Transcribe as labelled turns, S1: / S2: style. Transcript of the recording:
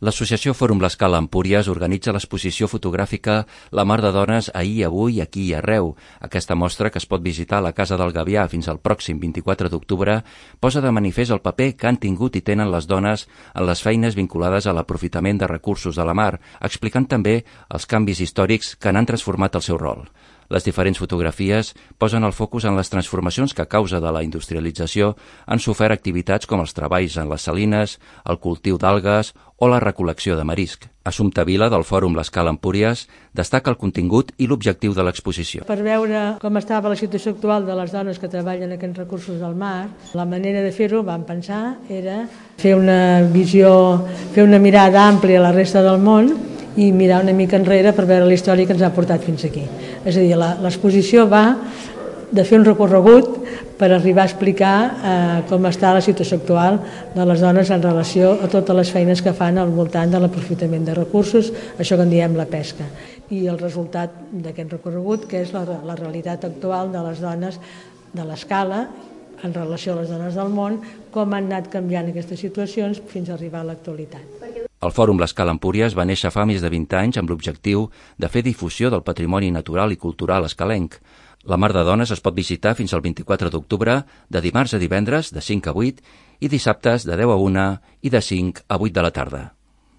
S1: L'associació Fòrum L'Escala Empúries organitza l'exposició fotogràfica La Mar de Dones ahir, avui, aquí i arreu. Aquesta mostra, que es pot visitar a la Casa del Gavià fins al pròxim 24 d'octubre, posa de manifest el paper que han tingut i tenen les dones en les feines vinculades a l'aprofitament de recursos de la mar, explicant també els canvis històrics que n'han transformat el seu rol. Les diferents fotografies posen el focus en les transformacions que a causa de la industrialització han sofert activitats com els treballs en les salines, el cultiu d'algues o la recol·lecció de marisc. Assumpta Vila, del Fòrum L'Escala Empúries, destaca el contingut i l'objectiu de l'exposició.
S2: Per veure com estava la situació actual de les dones que treballen aquests recursos del mar, la manera de fer-ho, vam pensar, era fer una visió, fer una mirada àmplia a la resta del món i mirar una mica enrere per veure la història que ens ha portat fins aquí. És a dir, l'exposició va de fer un recorregut per arribar a explicar com està la situació actual de les dones en relació a totes les feines que fan al voltant de l'aprofitament de recursos, això que en diem la pesca. I el resultat d'aquest recorregut, que és la realitat actual de les dones de l'Escala en relació a les dones del món, com han anat canviant aquestes situacions fins a arribar a l'actualitat.
S1: El Fòrum L'Escala Empúries va néixer fa més de 20 anys amb l'objectiu de fer difusió del patrimoni natural i cultural escalenc. La Mar de Dones es pot visitar fins al 24 d'octubre, de dimarts a divendres de 5 a 8 i dissabtes de 10 a 1 i de 5 a 8 de la tarda.